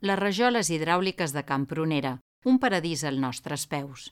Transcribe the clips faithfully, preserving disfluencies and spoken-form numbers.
Les rajoles hidràuliques de Can Prunera, un paradís als nostres peus.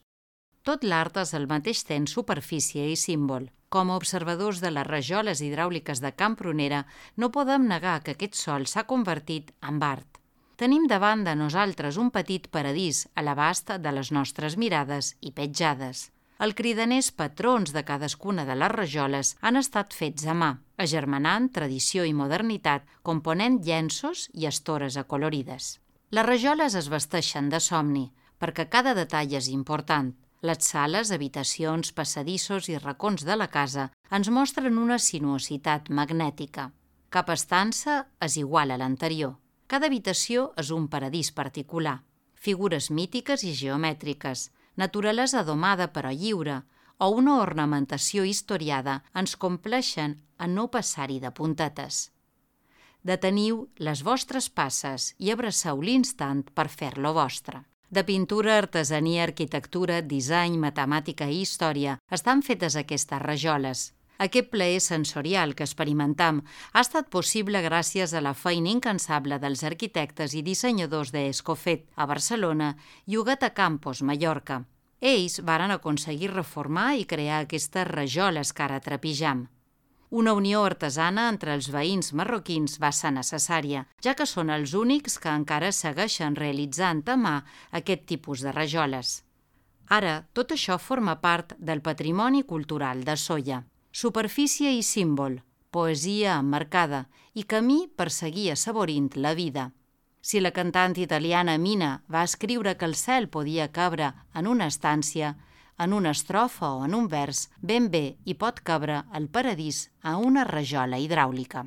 Tot l'art és al mateix temps superfície i símbol. Com a observadors de les rajoles hidràuliques de Can Prunera, no podem negar que aquest sòl s'ha convertit en art. Tenim davant de nosaltres un petit paradís a l'abast de les nostres mirades i petjades. Els cridaners patrons de cadascuna de les rajoles han estat fets a mà, agermanant tradició i modernitat, component llenços i estores acolorides. Les rajoles es vesteixen de somni, perquè cada detall és important. Les sales, habitacions, passadissos i racons de la casa ens mostren una sinuositat magnètica. Cap estança és igual a l'anterior. Cada habitació és un paradís particular. Figures mítiques i geomètriques, naturalesa domada però lliure, o una ornamentació historiada ens compleixen a no passar-hi de puntetes. Deteniu les vostres passes i abraceu l'instant per fer-lo vostre. De pintura, artesania, arquitectura, disseny, matemàtica i història estan fetes aquestes rajoles. Aquest plaer sensorial que experimentam ha estat possible gràcies a la feina incansable dels arquitectes i dissenyadors d'Escofet a Barcelona i Huguet a Campos, Mallorca. Ells varen aconseguir reformar i crear aquestes rajoles que ara trepitjam. Una unió artesana entre els veïns marroquins va ser necessària, ja que són els únics que encara segueixen realitzant a mà aquest tipus de rajoles. Ara, tot això forma part del patrimoni cultural de Sóller. Superfície i símbol, poesia emmarcada i camí per seguir assaborint la vida. Si la cantant italiana Mina va escriure que el cel podia cabre en una estància, en una estrofa o en un vers, ben bé hi pot cabre el paradís a una rajola hidràulica.